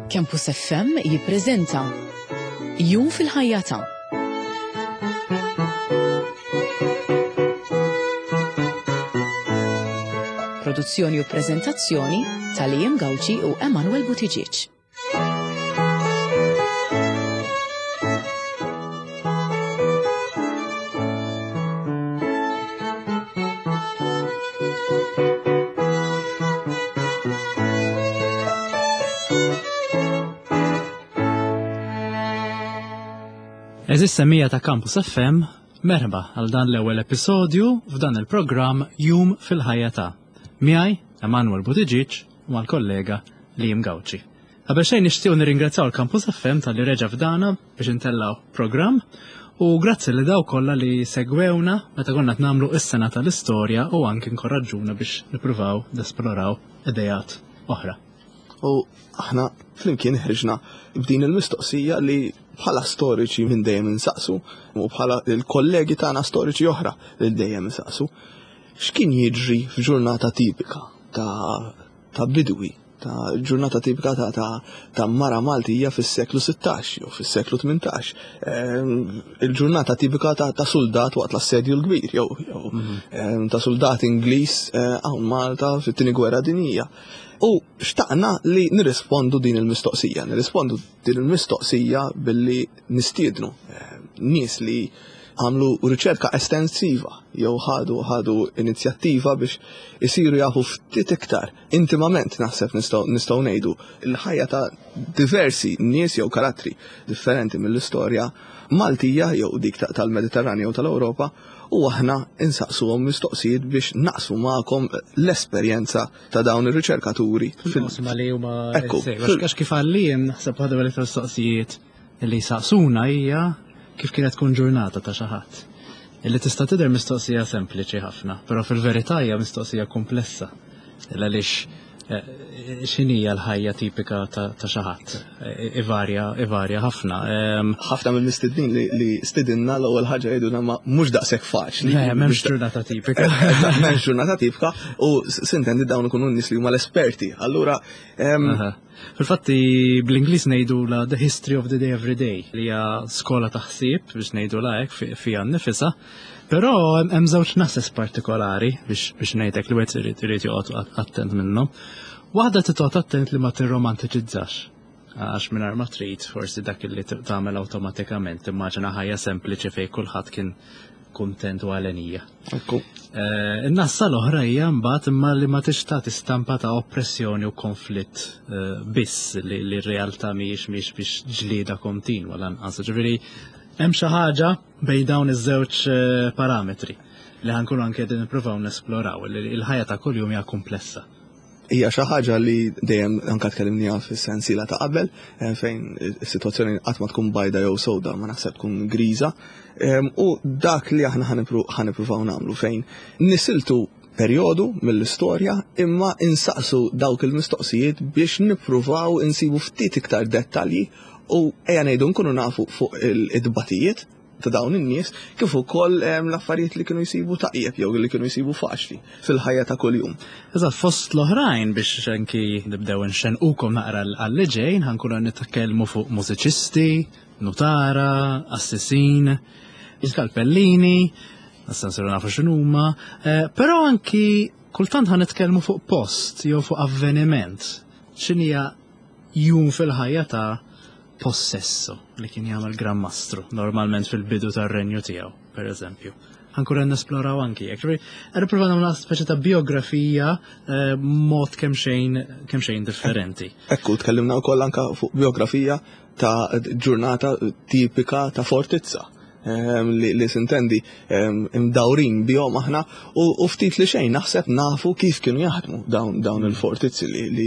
Campus FM jippreżenta Jum fil-ħajja ta' Produzzjoni u preżentazzjoni ta' Liam Gauci u Emanuel Buttigieg. Eżis semija ta' Campus FM, merħba għal dan l-ewwel episodju f'dan il-programm Jum fil-ħajja ta'. Miegħi Emanuel Buttigieg u mal-kollega Liam Gauci. Qabel xejn nixtiequ nirringrazzjaw l-Campus FM talli reġa' fdana biex intellgħu programm u grazzi li daw kollha li segwewna meta konna qed nagħmlu is-sena tal-istorja u anki nkoraġġuna biex nippruvaw nesploraw idejat oħra. U aħna flimkien ħriġna b'din il-mistoqsija li bħala storiċi minn dejjem insaqsu u bħala il-kollegi tagħna storiċi oħra li dejjem insaqsu. X'kien jiġri f'ġurnata tipika ta' ta' bidwi, ta' ġurnata tipika ta' ta' ta' mara Maltija fis-seklu 16 jew fis-seklu 18. Ehm, il-ġurnata tipika ta' ta' suldat waqt l-assedju l-kbir jew jew mhm. ehm, ta' suldat Ingliż eh, hawn Malta fit-tieni gwerra dinjija. U xtaqna li nirrispondu din il-mistoqsija, nirrispondu din il-mistoqsija billi nistiednu eh, nies li għamlu riċerka estensiva jew ħadu ħadu inizjattiva biex isiru jafu ftit iktar intimament naħseb nistgħu nistgħu ngħidu l-ħajja ta' diversi nies jew karattri differenti mill-istorja Maltija jew dik tal-Mediterran jew tal-Ewropa u aħna insaqsuhom mistoqsijiet biex naqsmu magħkom l-esperjenza ta' dawn ir-riċerkaturi. Fil-qosma li huma Ekku. Għax kif għallim naħseb waħda mill-mistoqsijiet li saqsuna hija kif kienet tkun ġurnata ta' xi ħadd. Illi tista' tidher mistoqsija sempliċi ħafna, però fil-verità hija mistoqsija komplessa. Għaliex eh, x'inhija l-ħajja tipika ta' xi ħadd? Eh, ivarja, ivarja ħafna. Ehm, ħafna mill-mistednin li stidinna l-ewwel ħaġa jgħidulna ma mhux daqshekk faċli. Le, m'hemmx ġurnata tipika. M'hemmx ġurnata tipika u sintendi dawn ikunu nies li huma l-esperti. Allura ehm, Fil-fatti bl-Ingliż ngħidu la The History of the Day Every Day li hija skola ta' ħsieb biex ngħidu la hekk fiha nnifisha. Però hemm żewġ nases partikolari biex biex ngħidlek li wieħed irid irid joqgħod attent minnhom. Waħda titqgħod attent li ma tirromantiċizzax għax mingħajr ma trid forsi dak li tagħmel awtomatikament timmaġina ħajja sempliċi fejn kulħadd kien kuntent u għalenija. Ekku. Eh, in-nassa l-oħra hija mbagħad imma li ma tix tagħti stampa ta' oppressjoni u konflitt eh, biss li r-realtà mhijiex mhijiex biex ġlieda kontinwa lanqas. Ġifieri hemm xi ħaġa bejn dawn iż-żewġ eh, parametri li ħankunu anke qegħdin nippruvaw nesploraw li l-ħajja ta' kuljum hija komplessa. Hija xi ħaġa li dejjem anke tkellimniha fis-sensiela ta' qabel eh, fejn is-sitwazzjoni qatt ma tkun bajda jew sewda ma naħseb tkun griża. Ehm, u dak li aħna ħanippruvaw nagħmlu fejn nisiltu perjodu mill-istorja imma insaqsu dawk il-mistoqsijiet biex nippruvaw insibu ftit iktar dettalji u ejja ngħidu nkunu nafu fuq il-dbatijiet ta' dawn in-nies kif ukoll ehm, l-affarijiet li kienu jsibu taqjeb jew li kienu jsibu faċli fil-ħajja ta' kuljum. Eżatt, fost l-oħrajn biex anki nibdew nxenqukom naqra għal ġejn ħankunu nitkellmu fuq mużiċisti, nutara, assisin, skalpellini, issa nsiru nafu x'inhuma, eh, però anki kultant ħan nitkellmu fuq post jew fuq avveniment. X'inhija jum fil-ħajja ta' possesso li kien jagħmel Gran Mastru, normalment fil-bidu tar-renju tiegħu, per eżempju. Ħankun qed nesploraw anki hekk. Ġifieri, qed nipprova nagħmlu speċi ta' biografija eh, mod kemm xejn kemm xejn differenti. Ekku, tkellimna wkoll anka fuq biografija ta' ġurnata tipika ta' fortizza. Ehm, li sintendi ehm, imdawrin bihom aħna u ftit li xejn naħseb nafu kif kienu jaħdmu dawn dawn il-fortizzi li li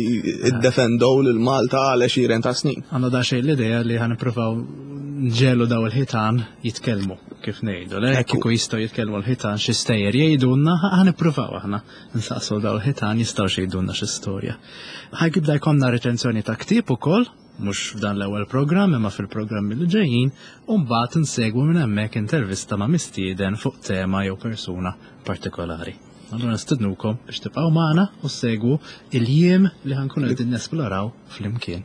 iddefendow lil Malta għal għexieren ta' snin. Għandna da xejn l-idea li ħan nippruvaw nġelu daw il-ħitan jitkellmu kif ngħidu. Le kieku jistgħu jitkellmu l-ħitan xi stejjer jgħidulna ħan nippruvaw aħna nsaqsu daw il-ħitan jistgħu jgħidulna xi storja. Ħajkibda jkollna reċenzjoni ta' ktieb ukoll mhux f'dan l-ewwel programm imma fil-programmi li ġejjin, u mbagħad insegwu minn hemmhekk intervista ma' mistieden fuq tema jew persuna partikolari. Allura nistednukom biex tibqgħu magħna u ssegwu il-jiem li ħankunu qegħdin nesploraw flimkien.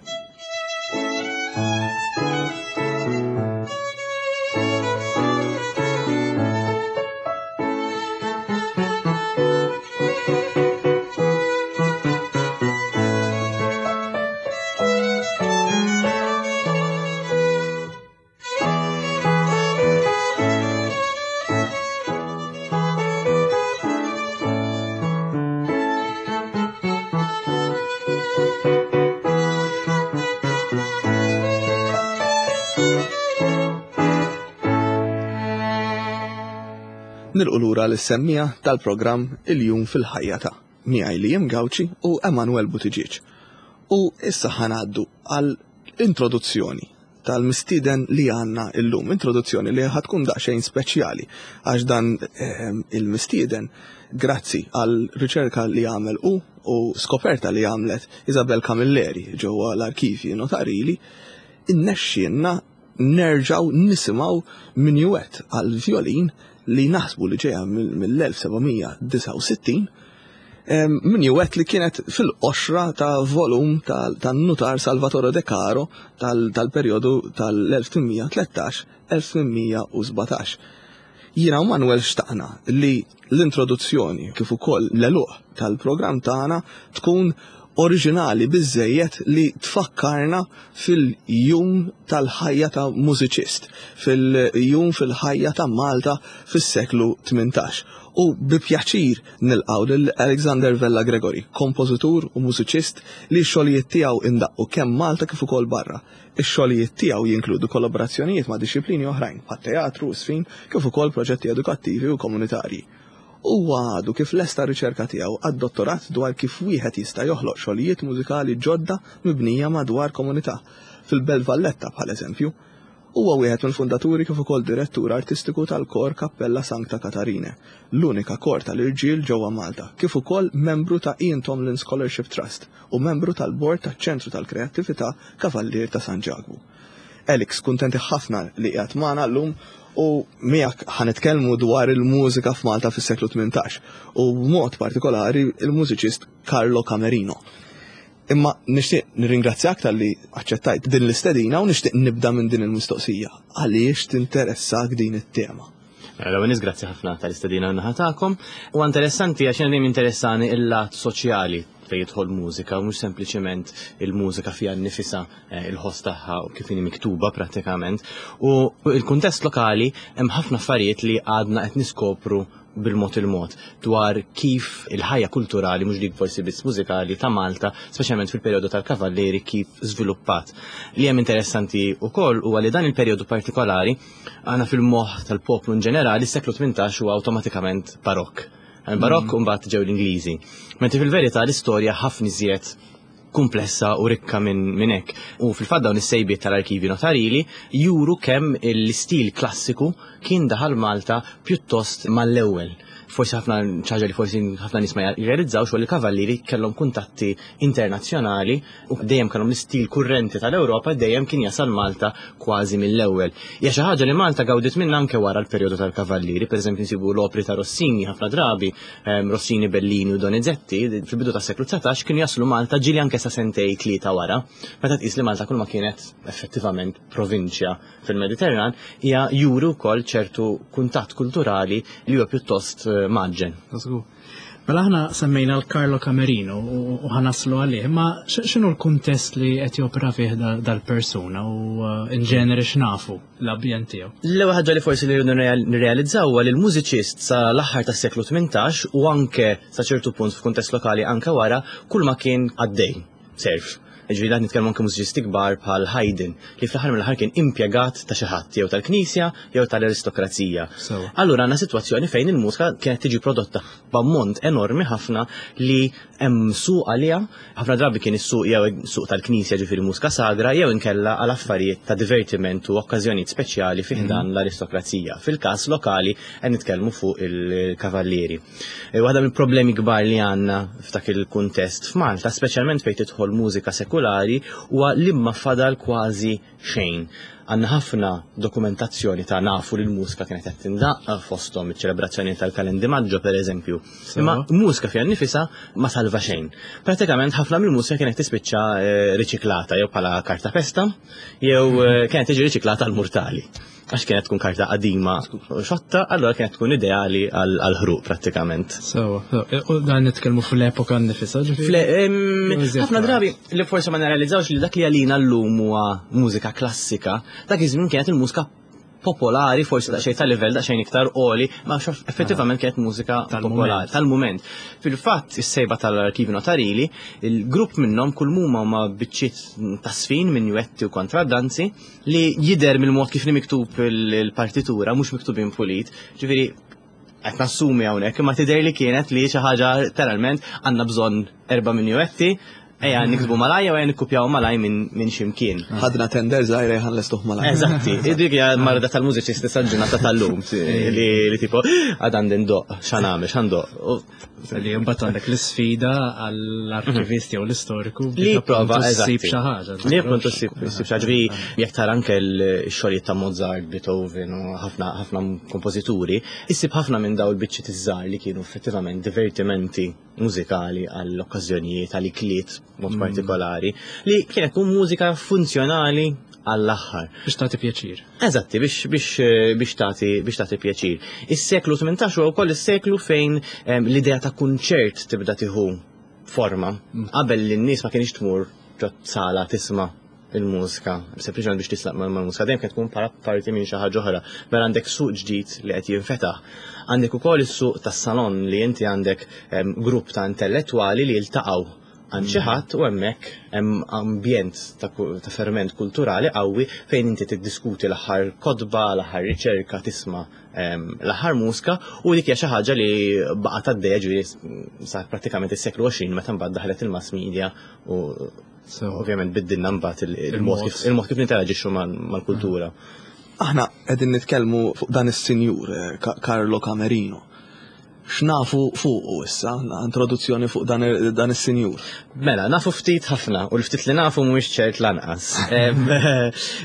Nilqu lura lis-semmiegħa tal-programm Il-Jum fil-Ħajja ta' miegħi Liam Gauci u Emanuel Buttigieg. U issa ħa ngħaddu għal introduzzjoni tal-mistieden li għandna illum, introduzzjoni li ħa tkun daqsxejn speċjali għax dan ehm, il-mistieden grazzi għal riċerka li għamel u u skoperta li għamlet Isabel Camilleri ġewwa l-arkivji notarili innexxielna nerġgħu nisimgħu minuet għal vjolin li naħsbu li ġejja mill-1769 minuet li kienet fil-qoxra ta' volum tan-nutar Salvatore De Caro tal-perjodu tal-1813-1817. Jiena u Manuel xtaqna li l-introduzzjoni kif ukoll l-għeluq tal-programm tagħna tkun oriġinali biżżejjed li tfakkarna fil-jum tal-ħajja ta' mużiċist, fil-jum fil-ħajja ta' Malta fis-seklu 18. U bi pjaċir nilqgħu lil Alexander Vella Gregory, kompożitur u mużiċist li x-xogħlijiet tiegħu indaqqu kemm Malta kif ukoll barra. Ix-xogħlijiet tiegħu jinkludu kollaborazzjonijiet ma' dixxiplini oħrajn bħat-teatru u ż-żfin kif ukoll proġetti edukattivi u komunitarji. Huwa għadu kif lesta r-riċerka tiegħu għad-dottorat dwar kif wieħed jista' joħloq xogħlijiet mużikali ġodda mibnija madwar komunità, fil-Belt Valletta bħal eżempju. Huwa wieħed mill-fundaturi kif ukoll direttur artistiku tal-Kor Cappella Sancta Catharinae, l-unika kor tal-irġiel ġewwa Malta, kif ukoll membru ta' Ian Tomlin Scholarship Trust u membru tal-Bord taċ-Ċentru tal-Kreattività Kavallier ta' San Ġakbu. Alex, kuntenti ħafna li qiegħed magħna llum u miegħek ħa nitkellmu dwar il-mużika f'Malta fis-seklu 18 u b'mod partikolari il-mużiċist Carlo Camerino. Imma nixtieq nirringrazzjak talli aċċettajt din l-istedina u nixtieq nibda minn din il-mistoqsija. Għaliex tinteressak din it-tema? Mela, l-ewwel nies grazzi ħafna tal-istedina naħa tagħkom. Huwa interessanti għax jiena dejjem interessani il-lat soċjali fejn jidħol mużika u mhux sempliċement il-mużika fiha nnifisha eh, il-ħoss tagħha u kif inhi miktuba prattikament. U il-kuntest lokali hemm ħafna affarijiet li għadna qed niskopru bil-mod il-mod dwar kif il-ħajja kulturali, mhux dik forsi biss mużikali ta' Malta, speċjalment fil-perjodu tal-Kavallieri kif żviluppat. Li hemm interessanti wkoll huwa li dan il-perjodu partikolari għandna fil-moħħ tal-poplu in ġenerali s-seklu 18 huwa awtomatikament barokk. Barokk mm. mbagħad ġew l-Ingliżi. Mentri fil-verità l-istorja ħafna iżjed kumplessa u rikka minn min hekk. U fil-fatt dawn is-sejbiet tal-arkivi notarili juru kemm l-istil klassiku kien daħal Malta pjuttost mal-ewwel. Forsi ħafna ċaġa li forsi ħafna nies ma jirrealizzawx li l-kavallieri kellhom kuntatti internazzjonali u dejjem kellhom l-istil kurrenti tal-Ewropa dejjem kien jasal Malta kważi mill-ewwel. Hija xi ħaġa li Malta gawdiet minnha anke wara l-perjodu tal-kavallieri, pereżempju nsibu l-opri ta' Rossini ħafna drabi Rossini, Bellini u Donizetti fil-bidu tas-seklu 19 kienu jaslu Malta ġieli anke sa sentej tlieta wara, meta tqis li Malta kull ma kienet effettivament provinċja fil-Mediterran, hija juri wkoll ċertu kuntatt kulturali li huwa pjuttost eh, maġġen. Mela aħna semmejna l-Carlo Camerino u ħanaslu għalih, ma x'inhu l-kuntest li qed jopera fih dal-persuna u eh, in ġeneri x'nafu? l-ambjent tiegħu. L-ewwel ħaġa li forsi li rridu nirrealizzaw huwa li l-mużiċist sa l-aħħar tas-seklu 18 u anke sa ċertu punt f'kuntest lokali anke wara kull ma kien għaddej serf. Ġifieri qed nitkellmu anke mużiċisti kbar bħal Haydn li fl-aħħar mill-aħħar kien impjegat ta' xi ħadd jew tal-Knisja jew tal-aristokrazija. Allura għandna sitwazzjoni fejn il-mużika kienet tiġi prodotta b'ammont enormi ħafna li hemm suq għaliha, ħafna drabi kien is-suq jew suq tal-knisja ġifieri mużika sagra jew inkella għal affarijiet ta' divertiment u okkażjonijiet speċjali fi ħdan mhm. l-aristokrazija. Fil-każ lokali qed nitkellmu fuq il-kavallieri. E, waħda mill-problemi kbar li għandna f'dak il-kuntest f'Malta, speċjalment fejn tidħol mużika sekulari, huwa li ma fadal kważi xejn. Għandna ħafna dokumentazzjoni ta' nafu li l-mużika kienet qed tindaqq fosthom iċ-ċelebrazzjoni tal-Kalendi Maggio pereżempju. Imma mużika fiha nnifisha ma salva xejn. Pratikament ħafna mill-mużika kienet tispiċċa eh, riċiklata jew bħala karta pesta jew eh, kienet tiġi riċiklata għal murtali għax kienet tkun karta qadima xotta, allora kienet tkun ideali għal-ħruq prattikament. So, u dan nitkellmu fl-epoka nifisha, Ħafna drabi li forsi ma nirrealizzawx li dak li għalina llum huwa mużika klassika, dak iż-żmien kienet il-mużika popolari, forsi daqsxejn ta' livell daqsxejn iktar għoli, ma effettivament kienet mużika popolari tal-mument. Fil-fatt, is-sejba tal-arkivi notarili, il-grupp minnhom kull muma ma biċċiet ta' sfin minn juetti u kontraddanzi li jidher mill-mod kif miktub il-partitura, mhux miktubin pulit. Ġifieri Qed nassumi hawnhekk, imma tidher li kienet li xi ħaġa letteralment għandna bżonn erba' minjuetti, ejja niktbu malaj jew ejja nikkupjaw malaj minn x'imkien. Ħadna tender żgħira ejja nlestuh malaj. Eżatti, dik hija marda tal-mużiċisti sal-ġurnata tal-lum li tipo għad għandi ndoqq, x'għamel, x'għandoq. Li mbagħad għandek l-isfida għall-arkivist jew l-istoriku li prova ssib xi ħaġa. Li appuntu ssib xi ħaġa. Jekk tara anke l-xogħlijiet ta' Mozart, Beethoven u ħafna ħafna kompożituri, issib ħafna minn dawn il-biċċiet iż-żgħar li kienu effettivament divertimenti mużikali għall-okkażjonijiet, għall-ikliet mod partikolari, li kienet tkun mużika funzjonali għall-aħħar. Biex tagħti pjaċir. Eżatti, biex biex biex tagħti biex tagħti pjaċir. Is-seklu 18 huwa wkoll is-seklu fejn l-idea ta' kunċert tibda tieħu forma. Qabel li n-nies ma kienx tmur ġo sala tisma' il-mużika, sempliċement biex tislaq mal-mużika, dejjem kienet tkun bħala parti minn xi ħaġa oħra. Mela għandek suq ġdid li qed jinfetaħ. Għandek ukoll is-suq tas-salon li inti għandek grupp ta' intellettwali li jiltaqgħu għand xi ħadd u hemmhekk hemm ambjent ta' ferment kulturali qawwi fejn inti tiddiskuti l-aħħar kotba, l-aħħar riċerka, tisma' l-aħħar mużika u dik hija xi ħaġa li baqgħet għaddejja ġifieri sa prattikament is-seklu 20 meta mbagħad daħlet il-mass media u ovvjament biddilna mbagħad il-mod kif ninteraġixxu mal-kultura. Aħna qegħdin nitkellmu fuq dan is-sinjur Carlo Camerino. X'nafu fuqu issa, introduzzjoni fuq dan is-sinjur? Mela, nafu ftit ħafna, u l-ftit li nafu mhuwiex ċert lanqas.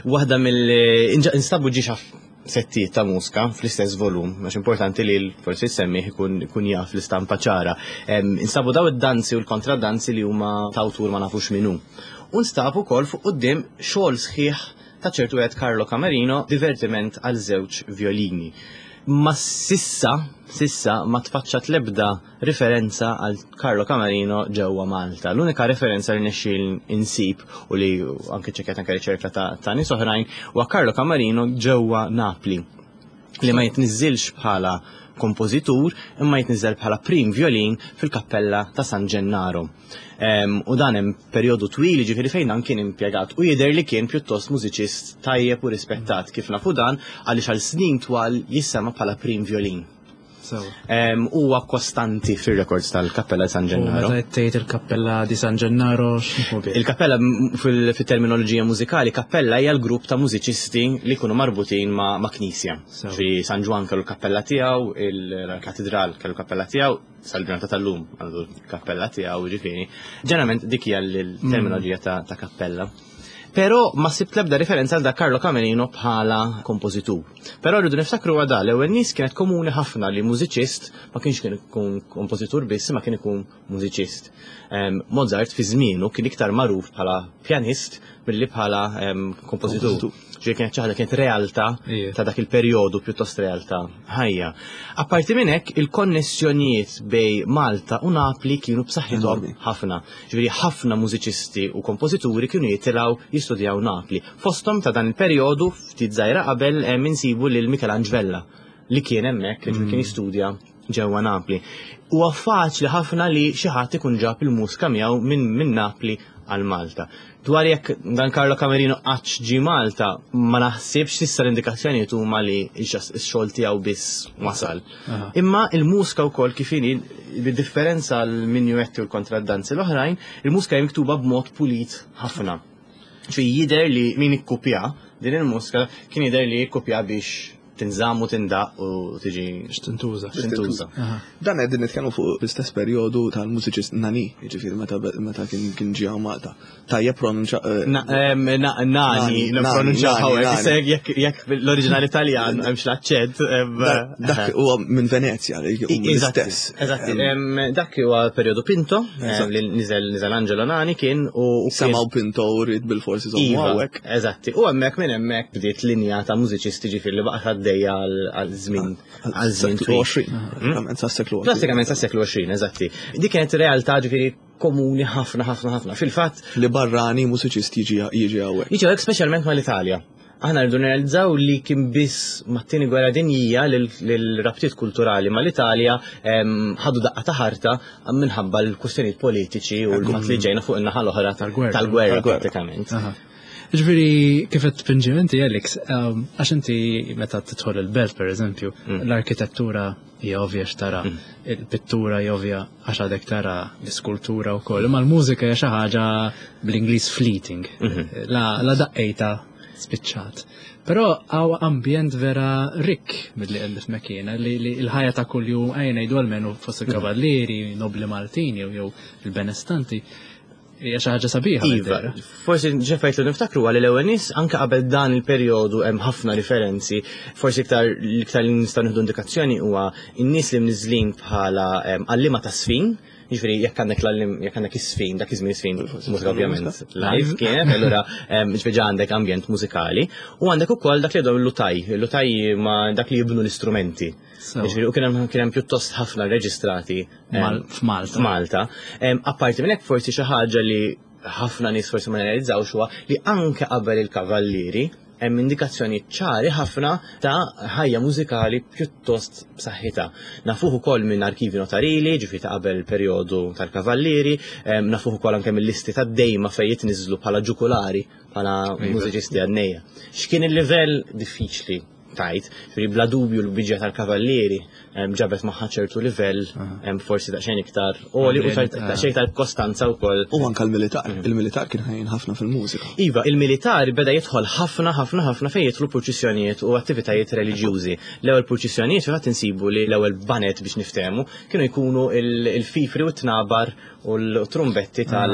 Waħda mill instabu ġiex settijiet ta' mużika fl-istess volum, għax importanti li forsi semmih ikun jaf l-istampa ċara. Instabu daw id-danzi u l-kontradanzi li huma ta' awtur ma nafux min hu. U nstab ukoll fuq quddiem xogħol sħiħ ta' ċertu wieħed Carlo Camerino, divertiment għal żewġ violini. Ma sissa, sissa ma tfaċċat l-ebda riferenza għal Carlo Camerino ġewwa Malta. L-unika referenza li nexxiel insib u li anke ċekkjat anke riċerka ta' nies oħrajn huwa Carlo Camerino ġewwa Napli, li ma jitniżżilx bħala kompożitur imma jitniżżel bħala prim violin fil-kappella ta' San Gennaro. U dan hemm perjodu twil ġifieri fejn dan kien impjegat u jidher li kien pjuttost mużiċist tajjeb u rispettat kif nafu dan għaliex għal snin twal jissema bħala prim violin. Huwa kostanti fir-records tal-Kappella San Gennaro. Meta tgħid il-Kappella di San Gennaro x'inhu bih? Il-kappella fit-terminoloġija mużikali, kappella hija l-grupp ta' mużiċisti li jkunu marbutin ma' knisja. Fi San Ġwann kellu l-kappella tiegħu, il-katedral kellu l-kappella tiegħu, sal-ġurnata tal-lum għandu l-kappella tiegħu, ġifieri. Ġeneralment dik hija l-terminoloġija ta' kappella. Però ma sibt l-ebda referenza għal dak Carlo Camerino bħala kompożitur. Però rridu niftakru għada l-ewwel nies kienet komuni ħafna li mużiċist ma kienx kien ikun kompożitur biss, ma kien ikun mużiċist. Mozart fi żmienu kien iktar magħruf bħala pjanist milli bħala kompożitur. Ġifieri kienet xi ħaġa kienet realtà ta' dak il-perjodu pjuttost realtà ħajja. Apparti minn hekk, il-konnessjonijiet bej Malta u Napli kienu b'saħħithom ħafna. Ġifieri ħafna mużiċisti u kompożituri kienu jitilgħu jistudjaw Napli. Fosthom ta' dan il-perjodu ftit żgħira qabel insibu lil Michelangelo Vella li kien hemmhekk, ġifieri kien jistudja ġewwa Napli. Huwa faċli ħafna li xi ħadd ikun ġab il-mużika miegħu minn Napli għal Malta. Dwar jekk dan Carlo Camerino qattx ġie Malta, ma naħsibx s'issa l-indikazzjonijiet huma li x-xogħol tiegħu biss wasal. Imma il-mużika wkoll kif inhi, bid-differenza għal minuetti u l-kontraddanzi l-oħrajn, il-mużika hija miktuba b'mod pulit ħafna. Ġifieri jidher li min ikkupja din il-mużika kien jidher li ikkupja biex tinżamm u tindaq u tiġi Biex tintuża. Biex tintuża. Dan qegħdin nitkellmu fuq l-istess perjodu tal-mużiċist Nani, jiġifieri meta kien ġie Malta. Tajjeb pronunċa, Nani, Nani, nipronunċa Nani, hawnhekk, Nani. issa jekk l-oriġinali Taljan hemmx l-aċċent, Dak huwa minn Venezja, li hu l-istess. Eżatti, dak huwa perjodu Pinto, li niżel Angelo Nani kien u kien Semaw Pinto u rrid bil-forsi żommu Iva, hawnhekk. Eżatti, u hemmhekk minn hemmhekk bdiet linja ta' mużiċisti ġifieri li baqgħet għaddejja għal żmien għal żmien Seklu twil. 20, pratikament sa seklu 20. Pratikament sa seklu 20, eżatti. Dik kienet realtà ġifieri komuni ħafna, ħafna, ħafna. Fil-fatt li barrani mużiċist jiġi hawnhekk. Jiġi hawnhekk speċjalment mal-Italja. Aħna rridu nirrealizzaw li kien biss mat-tieni gwerra dinjija li l-rabtiet kulturali mal-Italja ħadu daqqa ta' ħarta minħabba l-kwistjonijiet politiċi u l-fatt li ġejna fuq in-naħa l-oħra Tal-gwerra. tal-gwerra Tal-gwerra. pratikament. Ġifieri, kif qed tpinġi inti, Alex, għax inti meta tidħol il-belt, per eżempju, l-arkitettura hija ovvja x'tara, il-pittura hija ovvja għax għadek tara l-iskultura wkoll, imma l-mużika hija xi ħaġa bl-Ingliż fleeting. La, la daqqejta spiċċat. Però hawn ambjent vera rikk milli qed nifhmek jiena li, li l-ħajja ta' kuljum ejja ngħidu almenu fost il-kavallieri, nobli Maltin jew jew il-benestanti hija xi ħaġa sabiħa. Iva, forsi ġefajt li niftakru għalli l-ewwel nies anke qabel dan il-perjodu hemm ħafna riferenzi, forsi iktar l-iktar li nistgħu nieħdu indikazzjoni huwa n-nies li mniżlin bħala għalliema ta' sfin, jiġifieri jekk għandek l-għallim jekk għandek is-sfin, dak iż-żmien is-sfin mużika ovvjament live kienet, allura jiġifieri ġa għandek ambjent mużikali u għandek ukoll dak li jgħidu l-lutaj, il-lutaj ma dak li jibnu l-istrumenti. Jiġifieri u kien hemm kien hemm pjuttost ħafna reġistrati f'Malta. F'Malta. Apparti minn hekk forsi xi ħaġa li ħafna nies forsi ma jirrealizzawx huwa li anke qabel il-kavallieri hemm indikazzjoni ċari ħafna ta' ħajja mużikali pjuttost b'saħħitha. Nafuh ukoll minn arkivi notarili, ġifieri ta' qabel il-perjodu tal-kavallieri, nafuh ukoll anke mill-listi tad-dejma fejn jitniżżlu bħala ġukulari, bħala mużiċisti għannejja. X'kien il-livell diffiċli tajt, ġifieri bla dubju l-biġja tal-kavallieri ġabet magħha ċertu livell forsi daqsxejn iktar għoli u daqsxejn iktar kostanza wkoll. U anke l-militar, il-militar kien ħajjin ħafna fil-mużika. Iva, il-militar beda jidħol ħafna ħafna ħafna fejn jidħlu purċissjonijiet u attivitajiet reliġjużi. L-ewwel purċissjonijiet fil-fatt insibu li l-ewwel banet biex niftehmu kienu jkunu il-fifri u t-tnabar u l-trumbetti tal.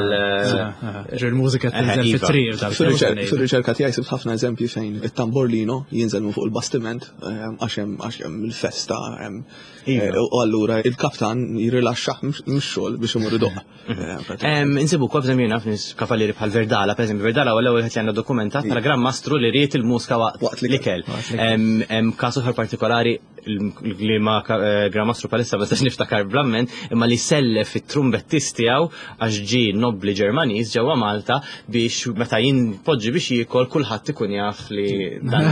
Ġer mużika tinżel iva. fit-triq tal Fil-riċerka tiegħi sibt ħafna eżempji fejn it-tamborlino jinżel minn fuq il-bastiment għax hemm għax hemm il-festa hemm Iva. u allura il-kaptan jirilaxxah mix-xogħol biex imur idoqq. Insibu wkoll b'eżempju naf nies kavallieri bħal Verdala, pereżempju Verdala huwa l-ewwel wieħed li għandna dokumentat bħala Gran Mastru li ried il-mużika waqt l-ikel. Hemm każ oħra partikolari li ma eh, Gran Mastru palissa ma nistax niftakar bl-amment, imma li sellef it-trumbettist tiegħu għax ġie nobbli Ġermaniż ġewwa Malta biex meta jinpoġġi biex jiekol kulħadd ikun jaf li dan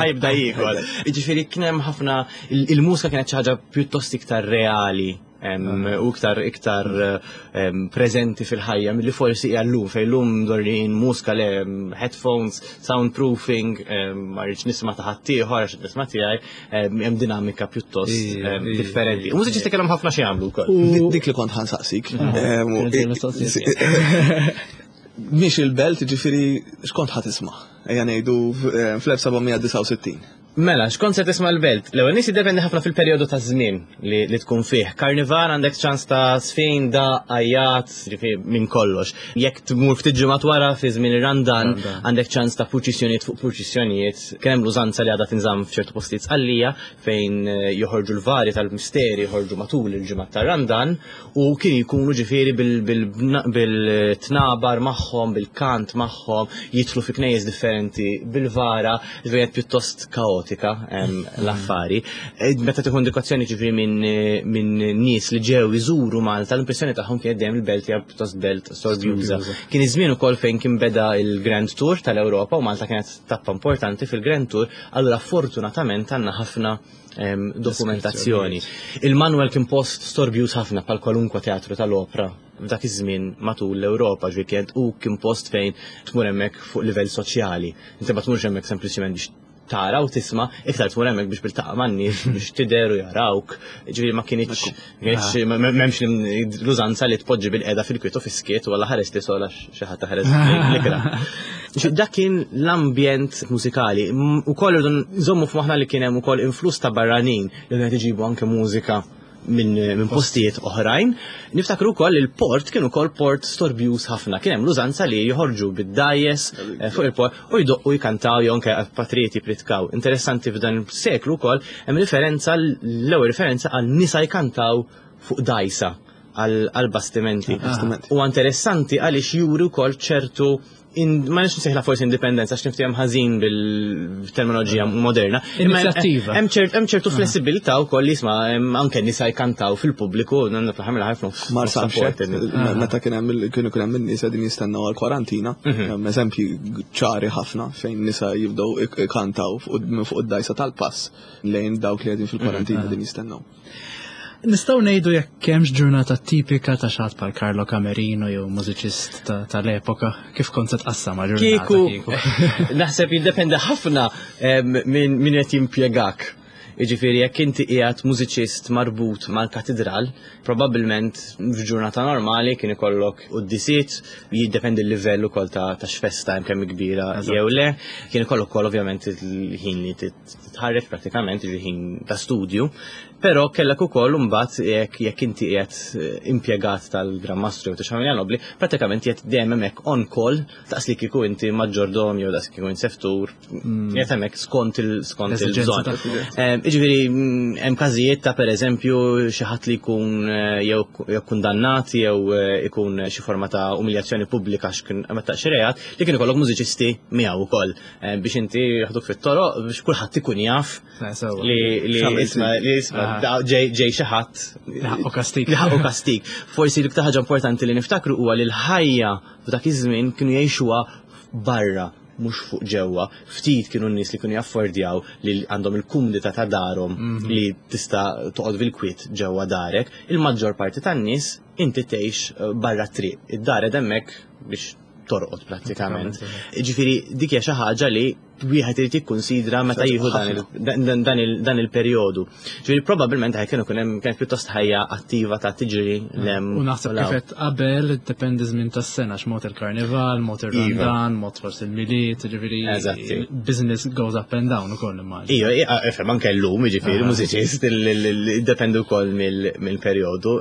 ħajbda jiekol. Jiġifieri kien hemm ħafna il-mużika kienet xi ħaġa pjuttost iktar reali u iktar iktar preżenti fil-ħajja milli forsi hija llum fejn llum dorrin mużika le headphones, soundproofing, ma rridx nisma' ta' ħaddieħor għax nisma' tiegħi, hemm dinamika pjuttost differenti. U mużiċisti kellhom ħafna xi jagħmlu wkoll. Dik li kont ħansaqsik. Mhix il-belt, ġifieri x'kont ħa tisma'? Ejja ngħidu fl-1769. Mela, x'kont se tisma' l-belt? L-ewwel nies jiddependi ħafna fil-perjodu ta' żmien li, li tkun fih. Karnival għandek ċans ta' sfin, da, għajjat, ġifieri minn kollox. Jekk tmur ftit ġimgħat wara fi żmien ir-Randan, għandek ċans ta' purċissjonijiet fuq purċissjonijiet. Kien hemm l-użanza li għadha tinżamm f'ċertu postijiet Sqallija fejn eh, joħorġu l-vari tal-misteri joħorġu matul il-ġimgħat tar-Randan u kien jkunu ġifieri bil-tnabar magħhom, bil-kant magħhom, jidħlu fi knejjes differenti bil-vara, ġifieri pjuttost kaotika l-affari. E, meta tieħu indikazzjoni ġifieri minn min nies li ġew iżuru Malta, l-impressjoni tagħhom kienet dejjem il-belt hija pjuttost belt sorbjuża. Kien iż-żmien ukoll fejn kien beda il-Grand Tour tal-Ewropa u Malta kienet tappa importanti fil-Grand Tour, allura fortunatament għandna ħafna dokumentazzjoni. Il-Manuel kien post storbjuż ħafna bħal kwalunkwe teatru tal-opra f'dak iż-żmien matul l-Ewropa, ġifieri kienet u kien post fejn tmur hemmhekk fuq livell soċjali. Inti ma tmurx hemmhekk sempliċement biex tara u tisma', iktar tmur hemmhekk biex tiltaqa' man-nies, biex tidher u jarawk. Ġifieri ma kinitx m'hemmx l-użanza li tpoġġi bil-qiegħda fil-kwiet u fis-skiet u alla ħares li sola xi ħadd ħares l-ikra. Dak kien l-ambjent mużikali. Ukoll irridu nżommu f'moħħna li kien hemm ukoll influss ta' barranin li qed iġibu anke mużika minn min postijiet oħrajn. Niftakru wkoll il-port kien ukoll port storbjuż ħafna. Kien hemm l-użanza li joħorġu bid-dajes eh, fuq il-port u jdoqqu jkantaw jew anke patrijiet jipritkaw. Interessanti f'dan il-seklu wkoll hemm referenza l-ewwel referenza għal nisa jkantaw fuq dajsa għal bastimenti. U interessanti għaliex juri wkoll ċertu ma nix nsejħla forsi indipendenza għax niftehom ħażin bil-terminoloġija moderna. Inizjattiva. Hemm ċertu ah. flessibilità wkoll li jisma' anke nisa jkantaw fil-pubbliku fl-aħħar mill-aħħar f'nofs. Marsa ah. meta kien hemm kienu kien hemm in-nies qegħdin jistennew għall-kwarantina, mhm. hemm eżempji ċari ħafna fejn nisa jibdew ikantaw minn fuq id-dajsa tal-pass lejn dawk li qegħdin fil-kwarantina mhm. qegħdin jistennew. Nistgħu ngħidu jekk hemmx ġurnata tipika ta' xatt bħal Carlo Camerino jew mużiċist tal-epoka, kif kont se tqassam ġurnata kieku? Naħseb jiddependi ħafna minn min qed jimpjegak. Jiġifieri jekk inti qiegħed mużiċist marbut mal-katidral, probabbilment f'ġurnata normali kien ikollok quddisiet, jiddependi l-livell ukoll ta' x'festa hemm kemm kbira jew le, kien ikollok ukoll ovvjament il-ħin li titħarreġ prattikament, jiġifieri ħin ta' studju, però kellek ukoll imbagħad jekk jekk inti qiegħed eh, impjegat tal-Gran Mastru jew ta' familja nobli, prattikament qiegħed dejjem hemmhekk on call daqs li kieku inti maġġordom jew daqs kieku int seftur Qiegħed hemmhekk skont il skont il-bżonn. Jiġifieri hemm każijiet ta' pereżempju xi ħadd li jkun eh, jew kundannat jew eh, ikun xi forma ta' umiljazzjoni pubblika x'kien meta xi reat li kien ikollok mużiċisti miegħu wkoll eh, biex inti jaħduk fit-toroq biex kulħadd ikun jaf li li isma' li isma' ah. ġej xi ħadd li ħaqqu kastik. Li ħaqqu kastik. Forsi l-iktar ħaġa importanti li niftakru huwa li l-ħajja f'dak iż-żmien kienu jgħixuha barra mhux fuq ġewwa. Ftit kienu n-nies li kienu jaffordjaw li għandhom il-kumdità ta' darhom mhm. li tista' toqgħod bil-kwiet ġewwa darek. Il-maġġor parti tan-nies inti tgħix eh, barra triq. Id-dar hemmhekk biex torqod prattikament. Ġifieri dik hija xi ħaġa li wieħed irid jikkunsidra meta jieħu dan il-perjodu. Ġifieri probabbilment ħaj kienu hemm kienet pjuttost ħajja attiva ta' tiġri mm. lem. U naħseb kif qed qabel dependi żmien tas-sena x'mod il-karnival, mod iva. ir-Randan, mod forsi il-Milied, ġifieri business goes up and down ukoll immaġin. Iva, ifhem anke llum jiġifieri mużiċist dependi wkoll mill-perjodu.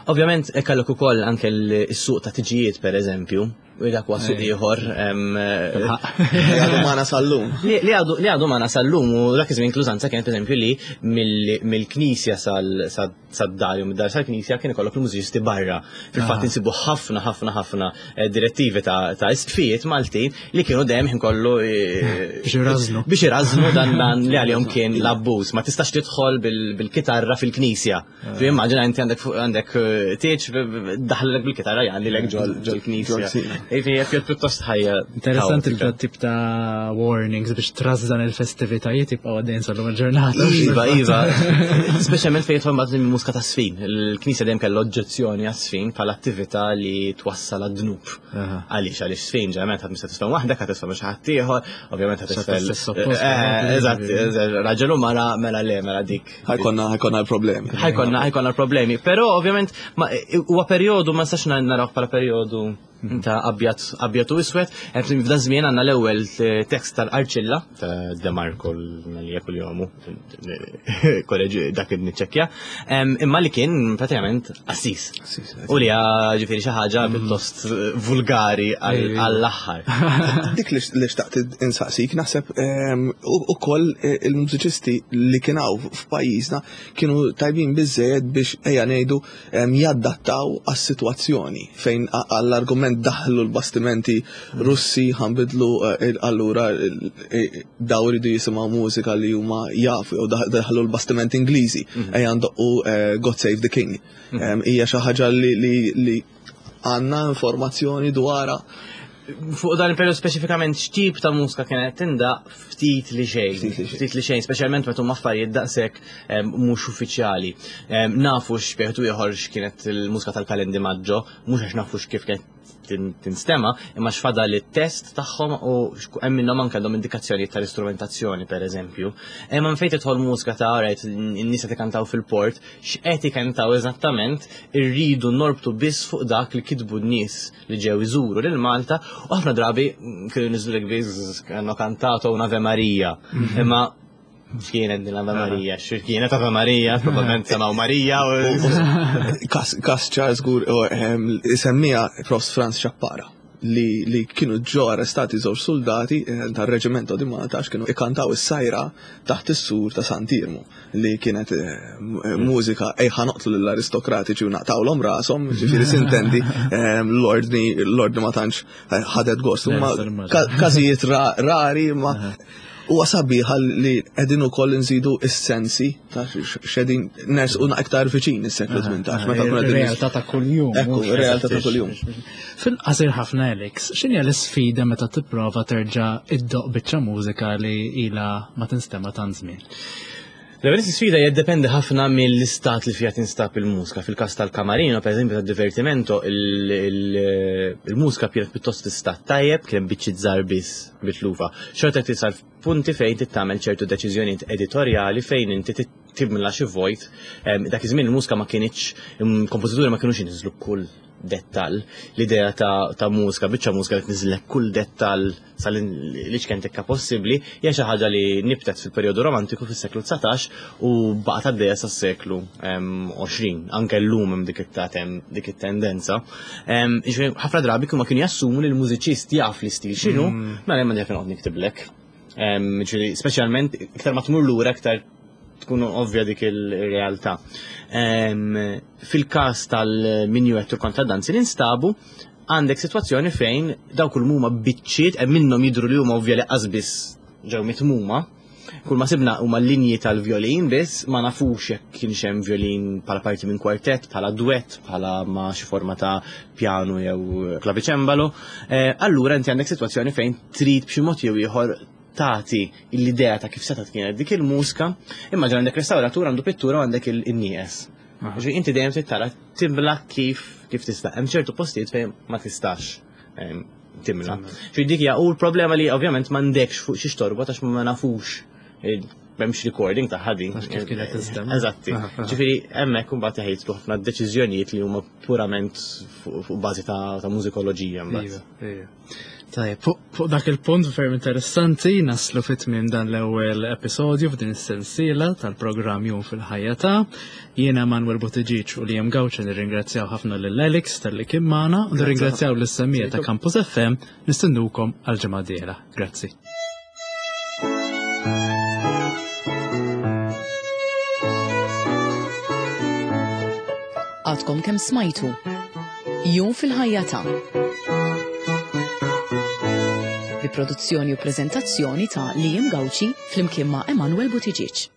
Ovvjament kellek ukoll anke l-suq ta' tiġijiet pereżempju U dak huwa suq ieħor. Li għadu magħna sal-lum. Li għadu magħna sal-lum u dak iż-żmien klużanza kienet eżempju li mill-knisja sad-dar jew mid-dar sal-knisja kien ikollok il-mużiċisti barra. Fil-fatt ah. insibu ħafna ħafna ħafna eh, direttivi ta' isqfijiet Maltin li kienu dejjem ħin kollu eh, biex irażnu. Biex irażnu dan li għalihom kien l-abbuż. Ma tistax tidħol bil-kitarra fil-knisja. Fi immaġina inti għandek għandek eh, tieċ daħlek bil-kitarra jgħalli lek ġol ġol knisja. Ivi jekk pjuttost ħajja. Interessanti li tip ta' warnings biex trażżan il-festivitajiet jibqgħu għaddejn sal-lum il-ġurnata. Iva, iva. Speċjalment fejn jidħol mbagħad il-mużika ta' sfin. Il-knisja dejjem kellha oġġezzjoni għas-sfin bħala attività li twassal għad-dnub. Għaliex għaliex sfin ġeneralment ħadd mista tisfen waħdek, ħadd tisfen xi ħadd ieħor, ovvjament ħadd tisfen. Eh, eżatt, raġel u mara mela le mela dik Ħajkonna ħajkonna l-problemi. Ħajkonna ħajkonna l-problemi, però ovvjament huwa perjodu ma nistax naraw bħala perjodu ta' abjad abjad u iswed, f'dan żmien għandna l-ewwel tekst tal-Arċilla ta' De Marco li kull jomu, kolleġi dak niċċekkja, imma li kien pratikament assis. U li ġifieri xi ħaġa mm. pjuttost vulgari għall-aħħar. Dik li xtaqt insaqsik naħseb ehm, ukoll eh, il-mużiċisti li kien hawn f'pajjiżna kienu tajbin biżejjed biex ejja ngħidu ehm, jaddattaw għas-sitwazzjoni fejn għall-argument daħlu l-bastimenti Russi ħanbidlu eh, allura eh, daw iridu jisimgħu mużika li huma jafu jew daħlu l-bastimenti Ingliżi mm. ejja ndoqqu God Save the King. Hija xi ħaġa li għandna informazzjoni dwarha. Fuq dan il-periodu speċifikament x'tip ta' mużika kienet tinda ftit li xejn. Ftit li xejn, speċjalment meta huma affarijiet daqshekk mhux uffiċjali. Nafu x'bieħdu ieħor x'kienet il-mużika tal-Kalendi Maggio, mhux għax nafu x'kif kienet tinstema, imma x'fadal it-test tagħhom u hemm minnhom anke għandhom indikazzjonijiet tal-istrumentazzjoni pereżempju. Imma fejn tidħol mużika ta' rajt in-nies qed ikantaw fil-port, x'qed ikantaw eżattament irridu norbtu biss fuq dak li kitbu n-nies li ġew iżuru lil Malta u ħafna drabi kienu niżlulek biss kienu kantato un Ave Maria. Mhm. Imma X'kienet din Ave Maria? X'kienet Ave Maria? Probabbilment semaw Marija. Kas Charles Gur semmija Prof. Franz Ċappara li, li kienu ġo arrestati żewġ soldati eh, tar-Reġimento di Malta għax kienu ikantaw is-sajra taħt is-sur ta' Sant'Irmu li kienet eh, mużika ejħa noqtlu lill-aristokratiċi u naqtawlhom rashom, ġifieri sintendi eh, l-ordni l-ordni ma tantx ħadet gost. Każijiet rari ma Huwa sabiħ li qegħdin ukoll inżidu s-sensi ta' x'qegħdin nersqu iktar viċin is-seklu 18 meta kuna Realtà ta' kuljum. Ekku, realtà ta' kuljum. Fil-qasir ħafna Alex, x'inhi l-isfida meta tipprova terġa' iddoq biċċa mużika li ilha ma tinstema' tant żmien? L-ewwel sfida jiddependi ħafna mill-istat li fiha tinstab il-mużika. Fil-każ tal-Camerino, pereżempju tad-Divertimento, il-mużika kienet pjuttost fi stat tajjeb, kien hemm biċċiet żgħar biss mitlufa. Xorta tisal punti fejn trid tagħmel ċertu deċiżjonijiet editorjali fejn inti timla xi vojt. Dak iż-żmien il-mużika ma kinitx, il-kompożituri ma kinux iniżżlu kull dettall. L-idea ta', ta mużika, biċċa mużika li tniżlek kull dettall sal-iċken tekka possibbli, hija xi ħaġa li nibtet fil-perjodu romantiku fis-seklu 19 u baqgħet għaddejja sas-seklu 20. Anke llum hemm dik it-tatem, dik it-tendenza. Ħafna drabi kienu kienu jassumu li l-mużiċist jaf l-istil x'inhu, mm. mela hemm għandek noqgħod niktiblek. Speċjalment iktar ma tmur lura iktar tkun ovvja dik il-realtà. Fil-każ tal-minuet u kontradanzi li nstabu, għandek sitwazzjoni fejn dawk kull huma biċċiet hemm minnhom jidhru li huma ovvja li qasbis ġew mitmuma. Kull ma sibna huma linji tal-violin biss, ma nafux jekk kienx hemm violin bħala parti minn kwartett, bħala duett, bħala ma xi forma ta' pjanu jew klaviċembalo. Eh, allura inti għandek sitwazzjoni fejn trid b'xi mod jew ieħor tagħti l-idea ta' kif setgħet kienet dik il-mużika, imma ġan għandek restawratur għandu pittura u għandek il-nieqes. Ġifieri inti dejjem trid tara timla kif kif tista'. Hemm ċertu postijiet fejn ma tistax ehm, timla. Ġifieri dik hija u l-problema li ovvjament m'għandekx fuq xi torbot għax ma nafux eh, m'hemmx recording ta' ħadi. Kif kienet tinstema'. Eżatti. Ġifieri hemmhekk imbagħad jħejtlu ħafna deċiżjonijiet li huma purament fuq bażi ta' mużikoloġija mbagħad. Iva, iva. Tajjeb, fuq dak il-punt ferm interessanti naslu fit tmiem dan l-ewwel episodju f'din is-sensiela tal-programm Jum fil-ħajja ta' jiena Manuel Buttigieg u Liam Gauci nirringrazzjaw ħafna lil Alex talli kien magħna u nirringrazzjaw lis-semmija ta' Campus FM nistennukom għal ġimgħa dieħla. Grazzi. Għadkom kemm smajtu Jum fil-ħajja ta' bi produzzjoni u preżentazzjoni ta' Liam Gauci flimkien ma' Emanuel Buttigieg.